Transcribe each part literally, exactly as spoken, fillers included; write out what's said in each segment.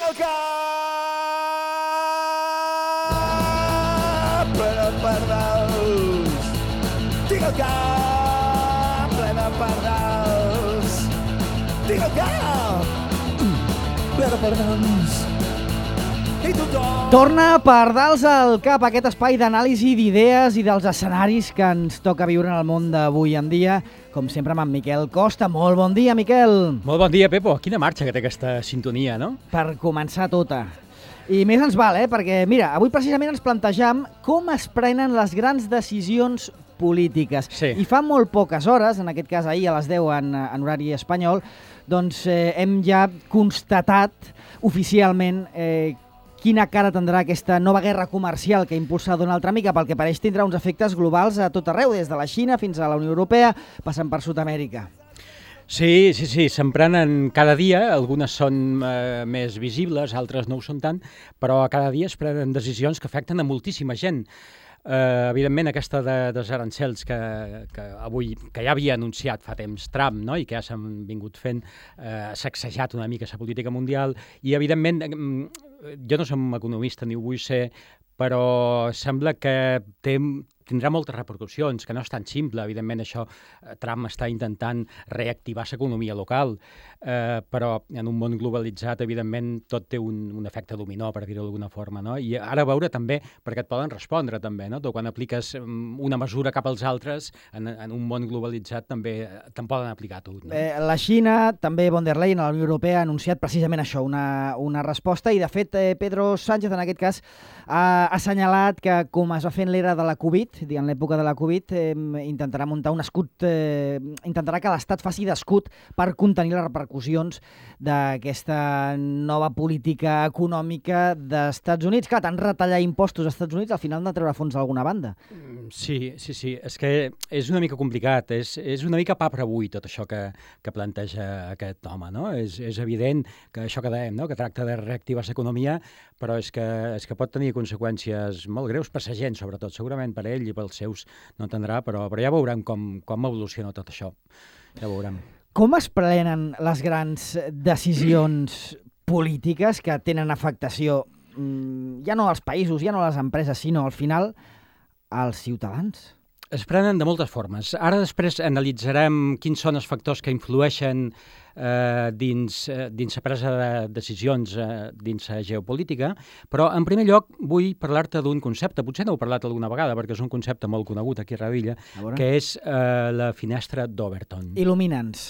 el cap ple de pardals. Tinc el cap ple de pardals. Tinc el cap ple de pardals. I tothom... Torna Pardals al cap, aquest espai d'anàlisi d'idees i dels escenaris que ens toca viure en el món d'avui en dia. Com sempre amb en Miquel Costa. Molt bon dia, Miquel. Molt bon dia, Pepo. Quina marxa que té aquesta sintonia, no? Per començar tota. I més ens val, eh? Perquè, mira, avui precisament ens plantejam com es prenen les grans decisions polítiques. Sí. I fa molt poques hores, en aquest cas ahir a les deu en, en horari espanyol, doncs eh, hem ja constatat oficialment eh, quina cara tindrà aquesta nova guerra comercial que impulsa Donald Trump i que pel que pareix tindrà uns efectes globals a tot arreu, des de la Xina fins a la Unió Europea, passant per Sud-amèrica. Sí, sí, sí, se'n prenen cada dia, algunes són eh, més visibles, altres no ho són tant, però cada dia es prenen decisions que afecten a moltíssima gent. Uh, evidentment, aquesta de, dels arancels que, que avui que ja havia anunciat fa temps Trump, no? I que ja s'han vingut fent, uh, ha sacsejat una mica la política mundial i, evidentment, jo no som economista ni ho vull ser, però sembla que té, tindrà moltes repercussions, que no és tan simple. Evidentment, això, Trump està intentant reactivar l'economia local, eh, però en un món globalitzat, evidentment, tot té un, un efecte dominó, per dir-ho d'alguna forma, no? I ara veure també, perquè et poden respondre també, no? Tu quan apliques una mesura cap als altres, en, en un món globalitzat també te'n poden aplicar tu. No? Eh, la Xina, també von der Leyen, a la Unió Europea, ha anunciat precisament això, una, una resposta, i de fet eh, Pedro Sánchez, en aquest cas, ha assenyalat que, com es va fer en l'era de la Covid, en l'època de la Covid, eh, intentarà muntar un escut, eh, intentarà que l'Estat faci d'escut per contenir les repercussions d'aquesta nova política econòmica d'Estats Units. Clar, tant retallar impostos als Estats Units, al final han de treure fons d'alguna banda. Sí, sí, sí. És que és una mica complicat, és, és una mica pa per avui tot això que, que planteja aquest home, no? És, és evident que això que dèiem, no? Que tracta de reactivar l'economia, però és que, és que pot tenir conseqüències molt greus per la gent, sobretot, segurament per ell i pels seus no entendrà, però, però ja veurem com, com evoluciona tot això. Ja veurem. Com es prenen les grans decisions polítiques que tenen afectació ja no als països, ja no a les empreses, sinó al final als ciutadans? Es prenen de moltes formes. Ara després analitzarem quins són els factors que influeixen eh, dins, eh, dins la presa de decisions eh, dins la geopolítica, però en primer lloc vull parlar-te d'un concepte, potser no heu parlat alguna vegada perquè és un concepte molt conegut aquí a Radilla, que és eh, la finestra d'Overton. Il·lumina'ns.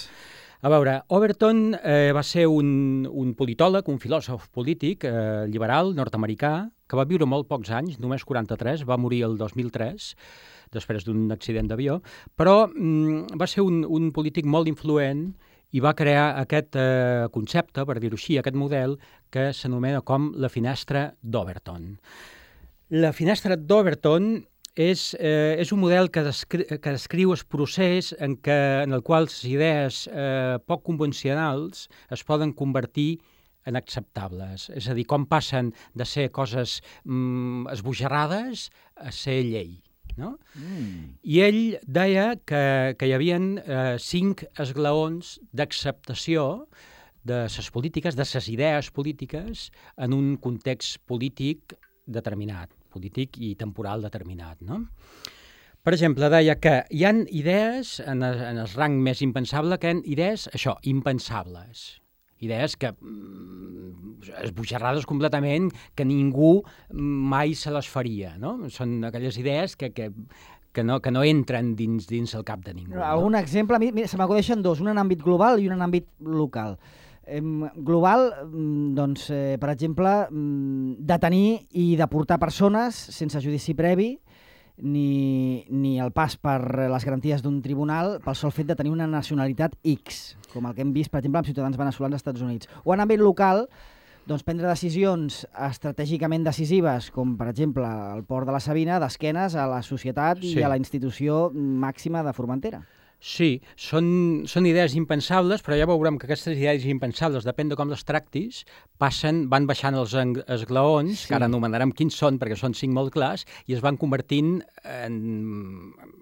A veure, Overton eh, va ser un, un politòleg, un filòsof polític eh, liberal nord-americà que va viure molt pocs anys, només quaranta-tres, va morir el dos mil tres, després d'un accident d'avió, però mm, va ser un, un polític molt influent i va crear aquest eh, concepte, per dir-ho així, aquest model que s'anomena com la finestra d'Overton. La finestra d'Overton és, eh, és un model que, descri que descriu el procés en, què, en el qual les idees eh, poc convencionals es poden convertir en acceptables. És a dir, com passen de ser coses mm, esbojarrades a ser llei. No? Mm. I ell deia que, que hi havia eh, cinc esglaons d'acceptació de les polítiques, de les idees polítiques, en un context polític determinat, polític i temporal determinat. No? Per exemple, deia que hi ha idees, en el, en el rang més impensable, que hi ha idees, això, impensables. Idees que mm, esbojarrades completament, que ningú mai se les faria, no? Són aquelles idees que, que, que, no, que no entren dins, dins el cap de ningú. Algun no? exemple? Mira, se m'acudeixen dos, un en àmbit global i un en àmbit local. Eh, global, doncs, eh, per exemple, detenir i deportar persones sense judici previ, ni, ni el pas per les garanties d'un tribunal pel sol fet de tenir una nacionalitat X, com el que hem vist, per exemple, amb ciutadans veneçolans als Estats Units. O en àmbit local, doncs, prendre decisions estratègicament decisives, com per exemple el port de la Sabina, d'esquenes a la societat sí. i a la institució màxima de Formentera. Sí, són, són idees impensables, però ja veurem que aquestes idees impensables, depèn de com les tractis, passen, van baixant els esglaons, sí. que ara anomenarem quins són, perquè són cinc molt clars, i es van convertint en,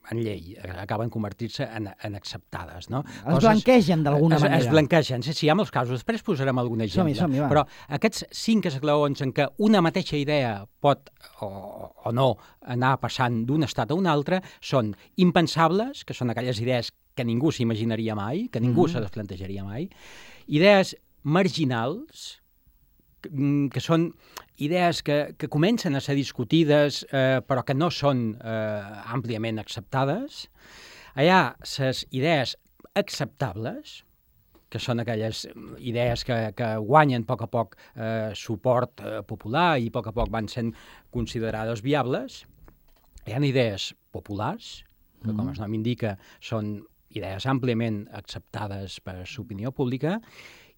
en llei, acaben convertir-se en, en acceptades. No? Es Coses, blanquegen d'alguna es, manera. Es blanquegen, sí, sí, hi ha molts casos. Després posarem algun exemple. Som-hi, som-hi, va. Però aquests cinc esglaons en què una mateixa idea pot o, o no anar passant d'un estat a un altre són impensables, que són aquelles idees que ningú s'imaginaria mai, que ningú mm. se les plantejaria mai, idees marginals, que, que són idees que, que comencen a ser discutides eh, però que no són eh, àmpliament acceptades. Hi ha les idees acceptables, que són aquelles idees que, que guanyen a poc a poc eh, suport eh, popular i a poc a poc van sent considerades viables. Hi ha idees populars, que com el nom indica són idees àmpliament acceptades per l'opinió pública,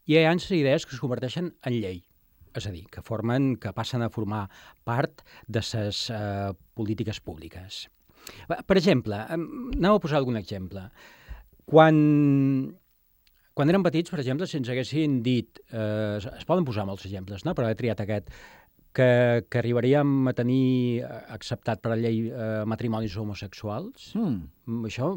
i hi ha idees que es converteixen en llei, és a dir, que formen, que passen a formar part de les eh, polítiques públiques. Per exemple, anem a posar algun exemple. Quan... Quan érem petits, per exemple, si ens haguessin dit, eh, es poden posar molts exemples, no? Però he triat aquest, que, que arribaríem a tenir acceptat per la llei eh, matrimonis homosexuals. Mm. Això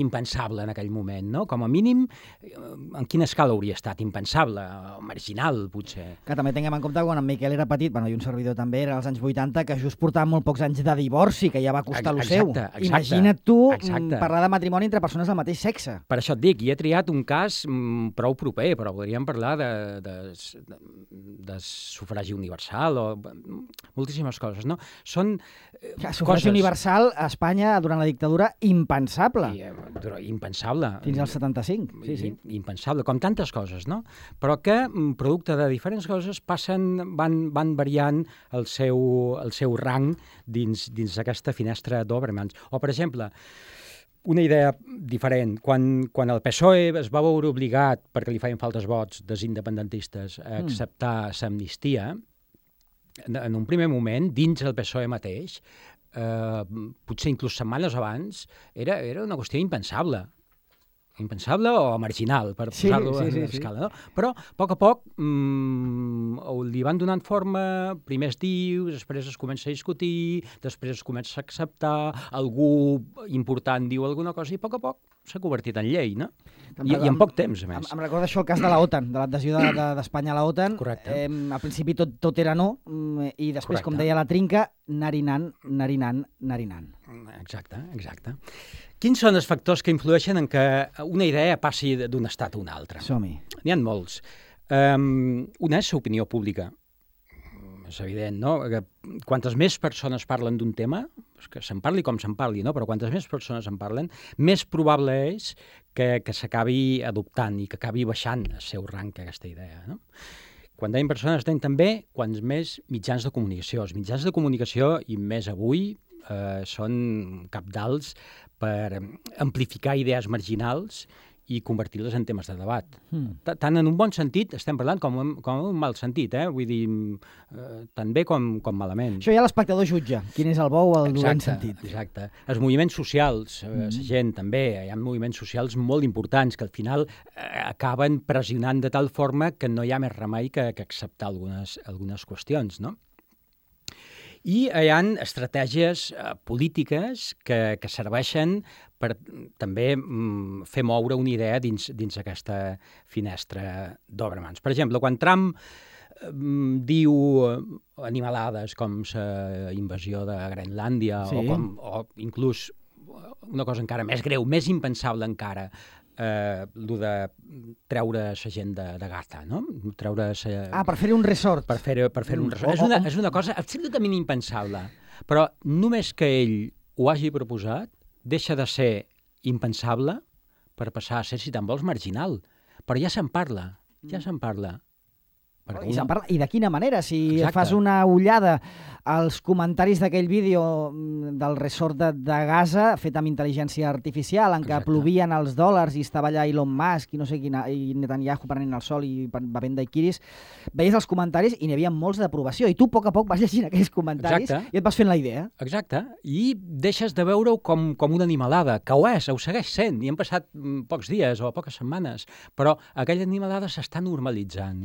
impensable en aquell moment, no? Com a mínim, en quina escala hauria estat? Impensable, marginal, potser. Que també tinguem en compte quan en Miquel era petit, bueno, i un servidor també, era als anys vuitanta, que just portaven molt pocs anys de divorci, que ja va costar lo seu. Exacte, Imagina't tu exacte. parlar de matrimoni entre persones del mateix sexe. Per això et dic, i he triat un cas mm, prou proper, però podríem parlar de, de, de, de sufragi universal o moltíssimes coses, no? Són eh, ja, sufragi coses... universal a Espanya durant la dictadura impensable. I, però impensable. Fins al setanta-cinc, sí, sí. Impensable, com tantes coses, no? Però que, producte de diferents coses, passen, van, van variant el seu, el seu rang dins, dins aquesta finestra d'Obermans. O, per exemple, una idea diferent. Quan, quan el P S O E es va veure obligat, perquè li feien faltes vots dels independentistes, a acceptar mm. l'amnistia, en un primer moment, dins el P S O E mateix, eh, potser inclús setmanes abans, era, era una qüestió impensable. Impensable o marginal, per sí, posar-lo sí, en sí, l'escala. Sí. No? Però, a poc a poc, mmm, li van donant forma, primer es diu, després es comença a discutir, després es comença a acceptar, algú important diu alguna cosa i a poc a poc s'ha convertit en llei, no? I, I en poc temps, a més. Em, em recorda això el cas de l'OTAN, de l'adhesió d'Espanya de, de, a l'OTAN. Correcte. Eh, al principi tot, tot era no, i després, Correcte. Com deia la Trinca, narinant, narinant, narinant. Exacte, exacte. Quins són els factors que influeixen en que una idea passi d'un estat a un altre? Som-hi. N'hi ha molts. Um, una és l'opinió pública. És evident, no? Que quantes més persones parlen d'un tema, que se'n parli com se'n parli, no? Però quantes més persones en parlen, més probable és que, que s'acabi adoptant i que acabi baixant el seu rang aquesta idea, no? Quan dèiem persones, dèiem també quants més mitjans de comunicació. Els mitjans de comunicació, i més avui, eh, són cabdals per amplificar idees marginals i convertir-les en temes de debat. Mm. Tant en un bon sentit, estem parlant, com en, com en un mal sentit, eh? Vull dir, eh, tant bé com, com malament. Això ja l'espectador jutja, quin és el bo o el dolent sentit. Exacte. Els moviments socials, mm. la gent també, hi ha moviments socials molt importants que al final eh, acaben pressionant de tal forma que no hi ha més remei que, que acceptar algunes, algunes qüestions, no? I hi ha estratègies eh, polítiques que, que serveixen per també mm, fer moure una idea dins, dins aquesta finestra d'Obermans. Per exemple, quan Trump eh, diu animalades com la invasió de Groenlàndia sí. o, com, o inclús una cosa encara més greu, més impensable encara, eh, el de treure la gent de, de Gaza, no? Treure sa... Ah, per fer un resort. Per fer, per fer un resort. Mm. És, una, és una cosa absolutament impensable. Però només que ell ho hagi proposat, deixa de ser impensable per passar a ser, si te'n vols, marginal. Però ja se'n parla, ja se'n parla. Oh, I, una... I de quina manera? Si Exacte. fas una ullada als comentaris d'aquell vídeo del resort de, de Gaza, fet amb intel·ligència artificial, en què Exacte. plovien els dòlars i estava allà Elon Musk i no sé quina, i Netanyahu prenent el sol i bevent daiquiris, veies els comentaris i n'hi havia molts d'aprovació. I tu, a poc a poc, vas llegint aquells comentaris Exacte. i et vas fent la idea. Exacte. I deixes de veure-ho com, com una animalada, que ho és, ho segueix sent. I han passat pocs dies o poques setmanes, però aquella animalada s'està normalitzant.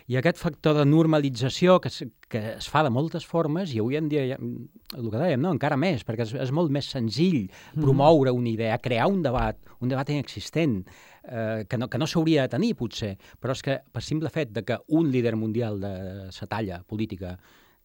I aquest factor de normalització que es, que es fa de moltes formes, i avui en dia, el que dèiem, no? Encara més, perquè és, és molt més senzill promoure una idea, crear un debat, un debat inexistent, eh, que no, que no s'hauria de tenir, potser, però és que per simple fet de que un líder mundial de sa talla política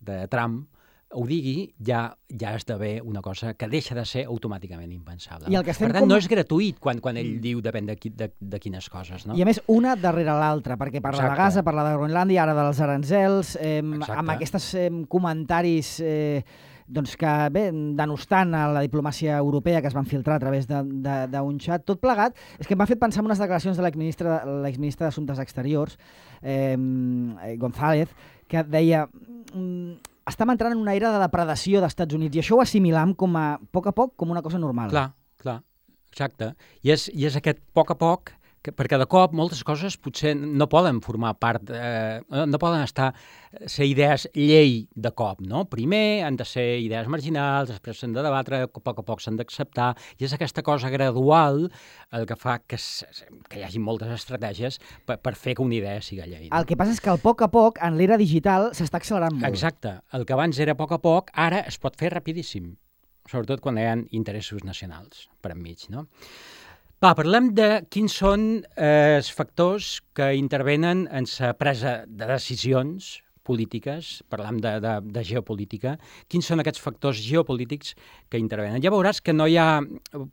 de Trump ho digui, ja, ja esdevé una cosa que deixa de ser automàticament impensable. I el que per tant, com... no és gratuït quan, quan ell mm. diu depèn de, qui, de, de quines coses. No? I a més, una darrere l'altra, perquè parla Exacte. de Gaza, parla de Groenlàndia, ara dels aranzels, eh, amb aquests eh, comentaris eh, doncs que, bé, denostant a la diplomàcia europea que es van filtrar a través d'un xat, tot plegat, és que em va fer pensar en unes declaracions de l'exministre d'Assumptes Exteriors, eh, González, que deia... Mm, estem entrant en una era de depredació dels Estats Units i això ho assimilam com a, a poc a poc com una cosa normal. Clar, clar, exacte. I és, i és aquest poc a poc, que, perquè de cop moltes coses potser no poden formar part, eh, no poden estar, ser idees llei de cop, no? Primer han de ser idees marginals, després s'han de debatre, a poc a poc s'han d'acceptar, i és aquesta cosa gradual el que fa que, que hi hagi moltes estratègies per, per fer que una idea siga llei. No? El que passa és que el poc a poc, en l'era digital, s'està accelerant molt. Exacte. El que abans era a poc a poc, ara es pot fer rapidíssim, sobretot quan hi ha interessos nacionals per enmig, no? Va, parlem de quins són eh, els factors que intervenen en la presa de decisions polítiques, parlem de, de, de geopolítica, quins són aquests factors geopolítics que intervenen. Ja veuràs que no hi ha...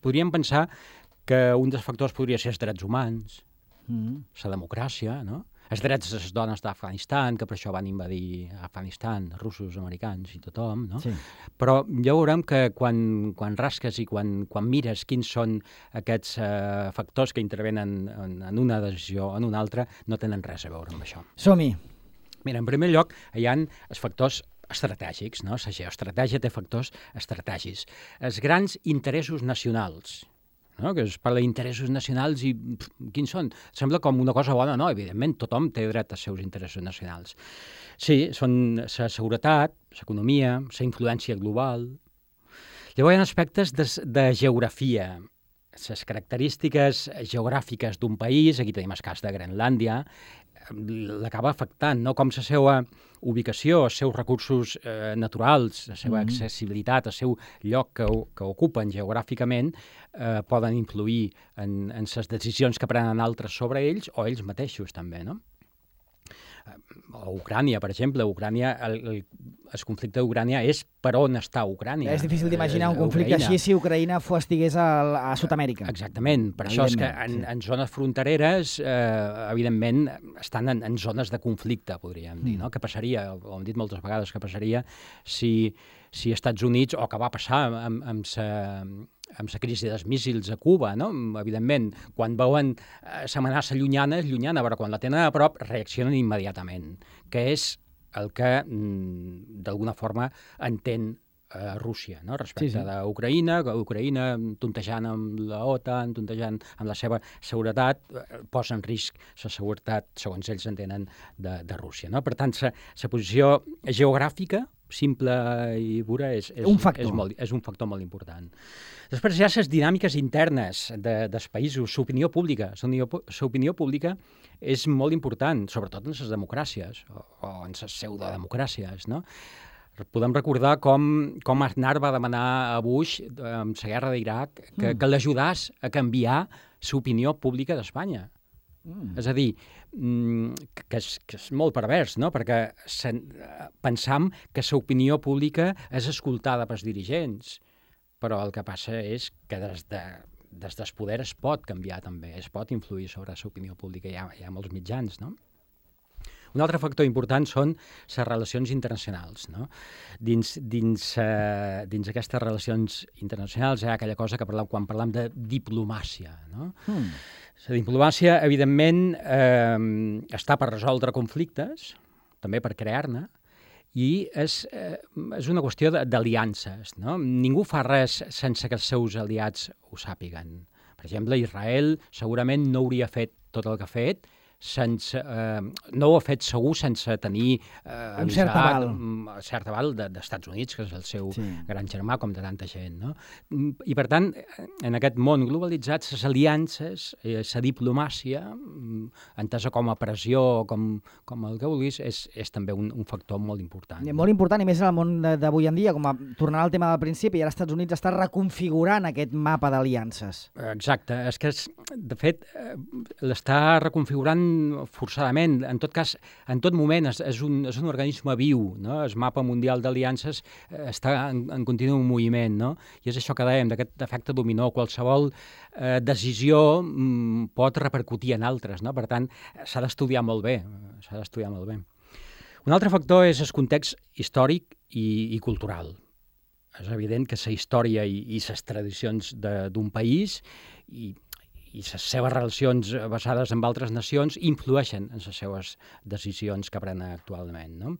Podríem pensar que un dels factors podria ser els drets humans, mm. la democràcia, no? Els drets de les dones d'Afganistan, que per això van invadir Afganistan, russos, americans i tothom, no? Sí. Però ja veurem que quan, quan rasques i quan, quan mires quins són aquests eh, factors que intervenen en, en una decisió o en una altra, no tenen res a veure amb això. Som-hi. Mira, en primer lloc, hi ha els factors estratègics, no? La geoestratègia té factors estratègics. Els grans interessos nacionals, no? Que es parla d'interessos nacionals i pff, quins són? Sembla com una cosa bona, no? Evidentment, tothom té dret als seus interessos nacionals. Sí, són la seguretat, l'economia, la influència global. Llavors hi ha aspectes de, de geografia, les característiques geogràfiques d'un país, aquí tenim el cas de Groenlàndia, l'acaba afectant, no? Com la seva ubicació, els seus recursos eh, naturals, la seva mm-hmm. accessibilitat, el seu lloc que, que ocupen geogràficament, eh, poden influir en, en les decisions que prenen altres sobre ells o ells mateixos també, no? O Ucrània, per exemple. Ucrània, el, el, el conflicte d'Ucrània és per on està Ucrània. És difícil d'imaginar un conflicte Ucraïna. Així si Ucraïna fos, estigués a, a Sud-amèrica. Exactament. Per això és que en, sí. en zones frontereres, eh, evidentment, estan en, en zones de conflicte, podríem dir, no? Què passaria, ho hem dit moltes vegades, què passaria si, si Estats Units, o que va passar amb, amb sa, amb la crisi dels míssils a Cuba, no? Evidentment, quan veuen l'amenaça llunyana, és llunyana, però quan la tenen a prop reaccionen immediatament, que és el que, d'alguna forma, entén eh, Rússia, no? Respecte sí, sí. d'Ucraïna, que Ucraïna, tontejant amb la OTAN, tontejant amb la seva seguretat, posa en risc la seguretat, segons ells entenen, de, de Rússia, no? Per tant, la posició geogràfica, simple i pura, és, és, un factor. és, molt, és un factor molt important. Després hi ha les dinàmiques internes de, dels països, l'opinió pública. L'opinió pública és molt important, sobretot en les democràcies o, o en les pseudodemocràcies, no? Podem recordar com, com Aznar va demanar a Bush, amb la guerra d'Iraq, que, mm. que l'ajudàs a canviar l'opinió pública d'Espanya. Mm. És a dir, que és, que és molt pervers, no? Perquè pensam que l'opinió pública és escoltada pels dirigents, però el que passa és que des, de, des del poder es pot canviar també, es pot influir sobre l'opinió pública, hi ha, hi ha molts mitjans, no? Un altre factor important són les relacions internacionals, no? Dins, dins, uh, dins aquestes relacions internacionals hi ha aquella cosa que parlem quan parlem de diplomàcia, no? Mm. La diplomàcia, evidentment, eh, està per resoldre conflictes, també per crear-ne, i és, eh, és una qüestió d'aliances, no? Ningú fa res sense que els seus aliats ho sàpiguen. Per exemple, Israel segurament no hauria fet tot el que ha fet sense, eh, no ho ha fet segur sense tenir eh, un cert aval, un cert aval de, d'Estats Units, que és el seu sí. gran germà, com de tanta gent, no? I per tant, en aquest món globalitzat, les aliances, eh, la diplomàcia, entesa com a pressió, com, com el que vulguis, és, és també un, un factor molt important. No? Molt important, i més en el món d'avui en dia, com a tornant al tema del principi, i ara els Estats Units està reconfigurant aquest mapa d'aliances. Exacte, és que, és, de fet, l'està reconfigurant forçadament. En tot cas, en tot moment és, és, un, és un organisme viu, no? El mapa mundial d'aliances està en, en continu moviment, no? I és això que dèiem, d'aquest efecte dominó. Qualsevol eh, decisió mm, pot repercutir en altres, no? Per tant, s'ha d'estudiar molt bé, s'ha d'estudiar molt bé. Un altre factor és el context històric i, i cultural. És evident que la història i, i les tradicions d'un país i i les seves relacions basades en altres nacions influeixen en les seves decisions que prenen actualment, no?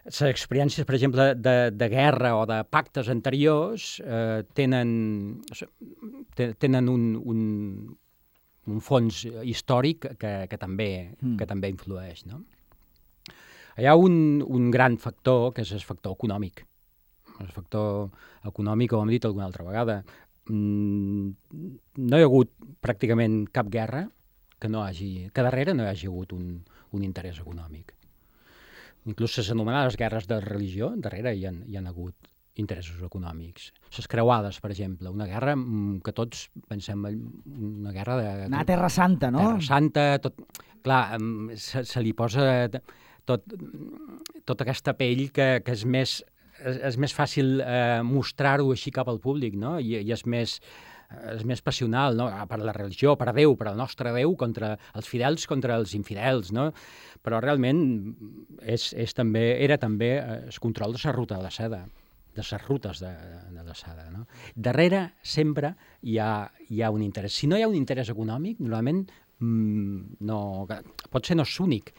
Les experiències, per exemple, de, de guerra o de pactes anteriors eh, tenen, tenen un, un, un fons històric que, que, també, mm. que també influeix, no? Hi ha un, un gran factor, que és el factor econòmic. El factor econòmic, com hem dit alguna altra vegada, no hi ha hagut pràcticament cap guerra que, no hagi, que darrere no hi hagi hagut un, un interès econòmic. Inclús les anomenades guerres de religió, darrere hi ha, hi ha hagut interessos econòmics. Les creuades, per exemple, una guerra que tots pensem, una guerra de... Anar a Terra Santa, no? Terra Santa, tot... Clar, se, se li posa tot, tota aquesta pell que, que és més... És, és més fàcil eh, mostrar-ho així cap al públic, no? I, i és, més, és més passional, no? Per la religió, per Déu, per el nostre Déu, contra els fidels, contra els infidels, no? Però realment és, és també, era també el control de la ruta de la seda, de les rutes de, de la seda, no? Darrere sempre hi ha, hi ha un interès. Si no hi ha un interès econòmic, normalment mmm, no, potser no és únic,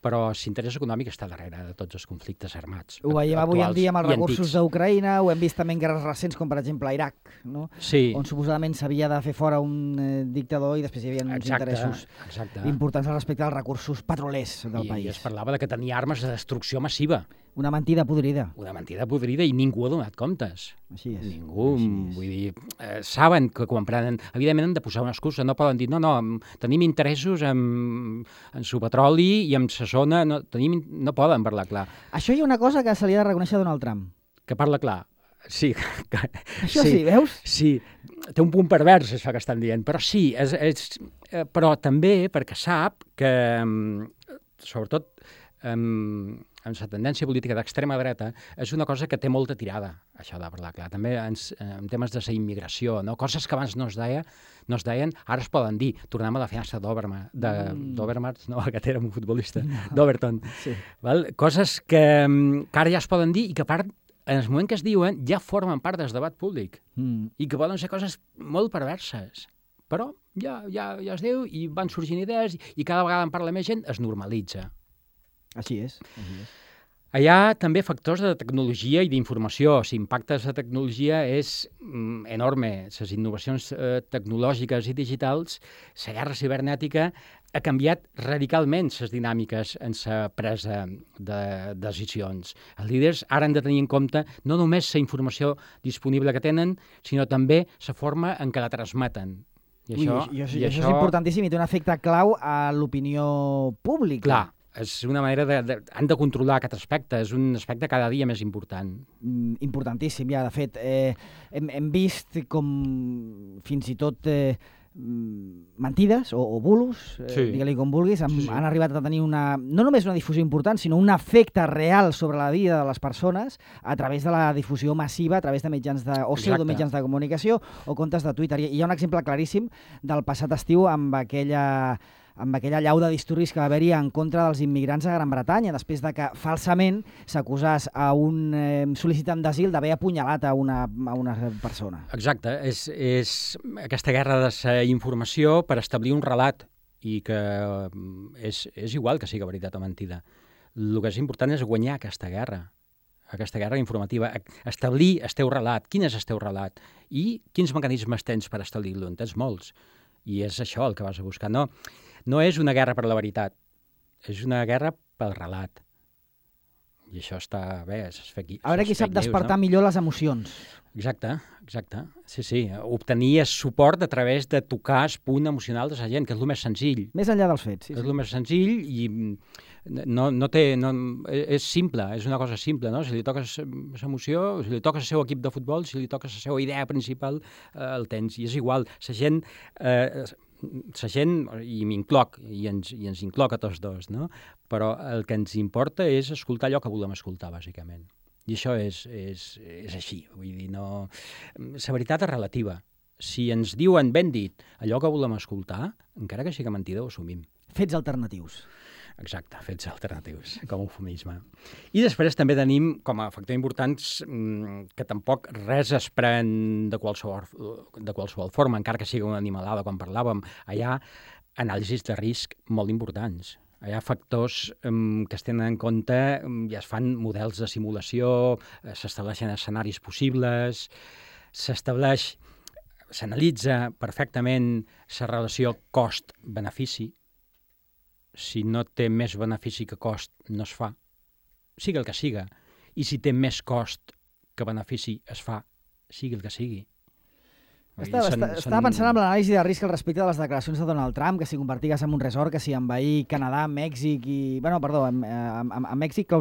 però l'interès econòmic està darrere de tots els conflictes armats. Ho veiem avui en dia amb els recursos d'Ucraïna, ho hem vist també en guerres recents, com per exemple a Iraq, no? Sí. On suposadament s'havia de fer fora un eh, dictador i després hi havia uns exacte, interessos exacte. importants respecte als recursos petrolers del I, país. I es parlava de que tenia armes de destrucció massiva. Una mentida podrida. Una mentida podrida i ningú ha donat comptes. Així és. Ningú, Així és. Vull dir, eh, saben que quan prenen... Evidentment han de posar una excusa, no poden dir, no, no, tenim interessos en, en su petroli i en sa zona, no, tenim, no poden parlar clar. Això hi ha una cosa que se li ha de reconèixer a Donald Trump. Que parla clar. Sí. Que, això sí, sí, veus? Sí, té un punt pervers això que estan dient, però sí, és, és, eh, però també perquè sap que, sobretot, um, en la tendència política d'extrema dreta, és una cosa que té molta tirada, això de parlar clar. També en, en temes de la immigració, no? Coses que abans no es, deia, no es deien, ara es poden dir. Tornem a la fiança d'Obermars, de, mm. d'Obermars, no, aquest era un futbolista, no. d'Overton. Sí. Val? Coses que, que ara ja es poden dir i que a part, en el moment que es diuen, ja formen part del debat públic mm. i que poden ser coses molt perverses. Però ja, ja, ja es diu i van sorgint idees i cada vegada en parla més gent, es normalitza. Així és. Així és. Hi ha també factors de tecnologia i d'informació. L'impacte de la tecnologia és mm, enorme. Les innovacions eh, tecnològiques i digitals, la guerra cibernètica ha canviat radicalment les dinàmiques en la presa de decisions. Els líders ara han de tenir en compte no només la informació disponible que tenen, sinó també la forma en què la transmeten. I Ui, això, i això, i això, això és importantíssim i té un efecte clau a l'opinió pública. Clar. És una manera de, de... Han de controlar aquest aspecte, és un aspecte cada dia més important. Mm, importantíssim, ja, de fet. Eh, hem, hem vist com fins i tot eh, mentides o, o bulos, eh, sí. digue-li com vulguis, han, sí, sí. han arribat a tenir una, no només una difusió important, sinó un efecte real sobre la vida de les persones a través de la difusió massiva, a través de mitjans de, o pseudomitjans de comunicació o comptes de Twitter. I hi ha un exemple claríssim del passat estiu amb aquella... amb aquella llau de disturbis que va haver-hi en contra dels immigrants a Gran Bretanya, després de que falsament s'acusés a un eh, sol·licitant d'asil d'haver apunyalat a una, a una persona. Exacte, és, és aquesta guerra de la informació per establir un relat i que és, és igual que sigui veritat o mentida. El que és important és guanyar aquesta guerra, aquesta guerra informativa, establir el teu relat, quin és el teu relat i quins mecanismes tens per establir-lo, en tens molts. I és això el que vas a buscar. No, no és una guerra per la veritat, és una guerra pel relat. I això està bé, és fake, a veure qui sap despertar news, no? millor les emocions. Exacte, exacte. Sí, sí. Obtenir suport a través de tocar el punt emocional de la gent, que és el més senzill. Més enllà dels fets, sí. És sí. el més senzill i no, no té... No, és simple, és una cosa simple, no? Si li toques l'emoció, si li toques el seu equip de futbol, si li toques la seva idea principal, eh, el tens. I és igual, la gent... Eh, la gent, i m'incloc, i ens, i ens incloc a tots dos, no? Però el que ens importa és escoltar allò que volem escoltar, bàsicament. I això és, és, és així. Vull dir, no... La veritat és relativa. Si ens diuen ben dit allò que volem escoltar, encara que sigui mentida, ho assumim. Fets alternatius. Exacte, fets alternatius, com a eufemisme. I després també tenim, com a factor important, que tampoc res es pren de qualsevol, de qualsevol forma, encara que sigui una animalada, com parlàvem. Hi ha anàlisis de risc molt importants. Hi ha factors um, que es tenen en compte, um, ja es fan models de simulació, uh, s'estableixen escenaris possibles, s'estableix, s'analitza perfectament la relació cost-benefici. Si no té més benefici que cost, no es fa, sigui el que siga. I si té més cost que benefici, es fa, sigui el que sigui. Estava, són, estava són... pensant en l'anàlisi de risc al respecte de les declaracions de Donald Trump, que si convertigues en un resort, que si envair Canadà, Mèxic i... Bueno, perdó, a, a, a Mèxic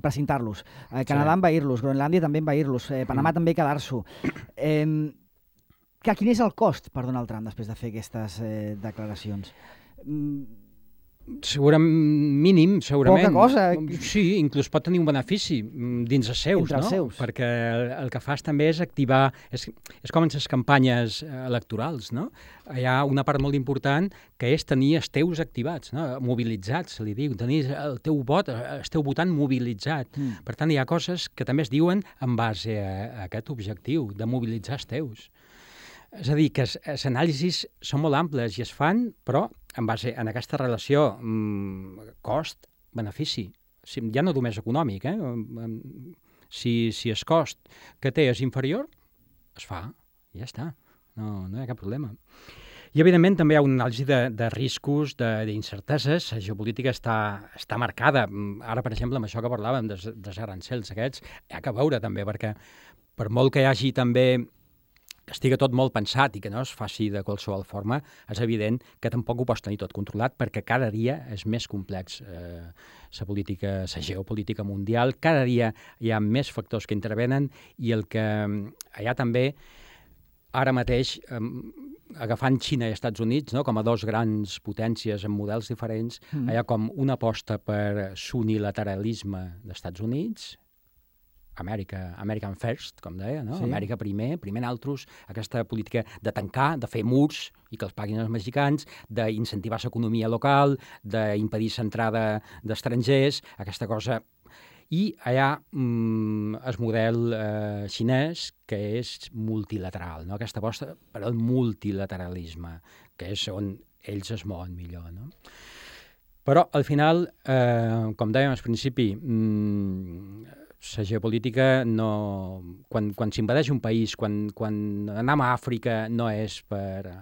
precintar-los, a Canadà sí. envair-los, Groenlàndia també envair-los, eh, Panamà mm. també quedar-s'ho. Eh, que, quin és el cost per Donald Trump després de fer aquestes eh, declaracions? Mm, Segurament, mínim, segurament. Poca cosa. Sí, inclús pot tenir un benefici dins els seus, Entre els no? seus. Perquè el, el que fas també és activar... És, és com en les campanyes electorals, no? Hi ha una part molt important que és tenir els teus activats, no? Mobilitzats, se li diu, tenir el teu vot, el teu votant mobilitzat. Mm. Per tant, hi ha coses que també es diuen en base a, a aquest objectiu, de mobilitzar els teus. És a dir, que les anàlisis són molt amples i es fan, però en base en aquesta relació mmm, cost-benefici. Si, ja no només econòmic, eh? Si, si el cost que té és inferior, es fa, i ja està. No, no hi ha cap problema. I, evidentment, també hi ha una anàlisi de, de riscos, d'incerteses. La geopolítica està, està marcada. Ara, per exemple, amb això que parlàvem dels, dels arancels aquests, hi ha que veure també, perquè per molt que hi hagi també que estigui tot molt pensat i que no es faci de qualsevol forma, és evident que tampoc ho pots tenir tot controlat perquè cada dia és més complex eh, la política, la geopolítica mundial. Cada dia hi ha més factors que intervenen i el que hi ha també ara mateix, eh, agafant Xina i Estats Units, no, com a dos grans potències amb models diferents, mm. hi ha com una aposta per l'unilateralisme dels Estats Units, Amèrica, American First, com deia, no? Sí. Amèrica primer, primer naltros, aquesta política de tancar, de fer murs i que els paguin els mexicans, d'incentivar l'economia local, d'impedir l'entrada d'estrangers, aquesta cosa. I hi ha mm, el model eh, xinès, que és multilateral, no? Aquesta aposta per al multilateralisme, que és on ells es mouen millor, no? Però, al final, eh, com dèiem al principi, mm, la geopolítica, no... quan, quan s'invadeix un país, quan, quan anem a Àfrica, no és per...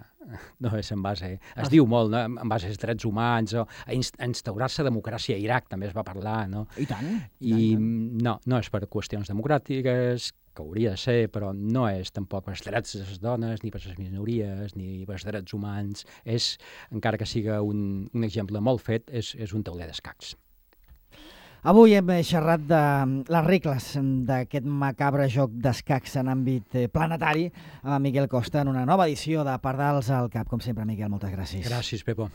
no és en base... Es ah. diu molt, no? En base als drets humans, o a instaurar-se democràcia a Iraq, també es va parlar, no? I tant. I, I tant. no, no és per qüestions democràtiques, que hauria de ser, però no és tampoc per als drets de les dones, ni per les minories, ni per als drets humans. És, encara que siga un, un exemple molt fet, és, és un tauler d'escacs. Avui hem xerrat de les regles d'aquest macabre joc d'escacs en àmbit planetari amb Miquel Costa en una nova edició de Pardals al Cap. Com sempre, Miquel, moltes gràcies. Gràcies, Pepo.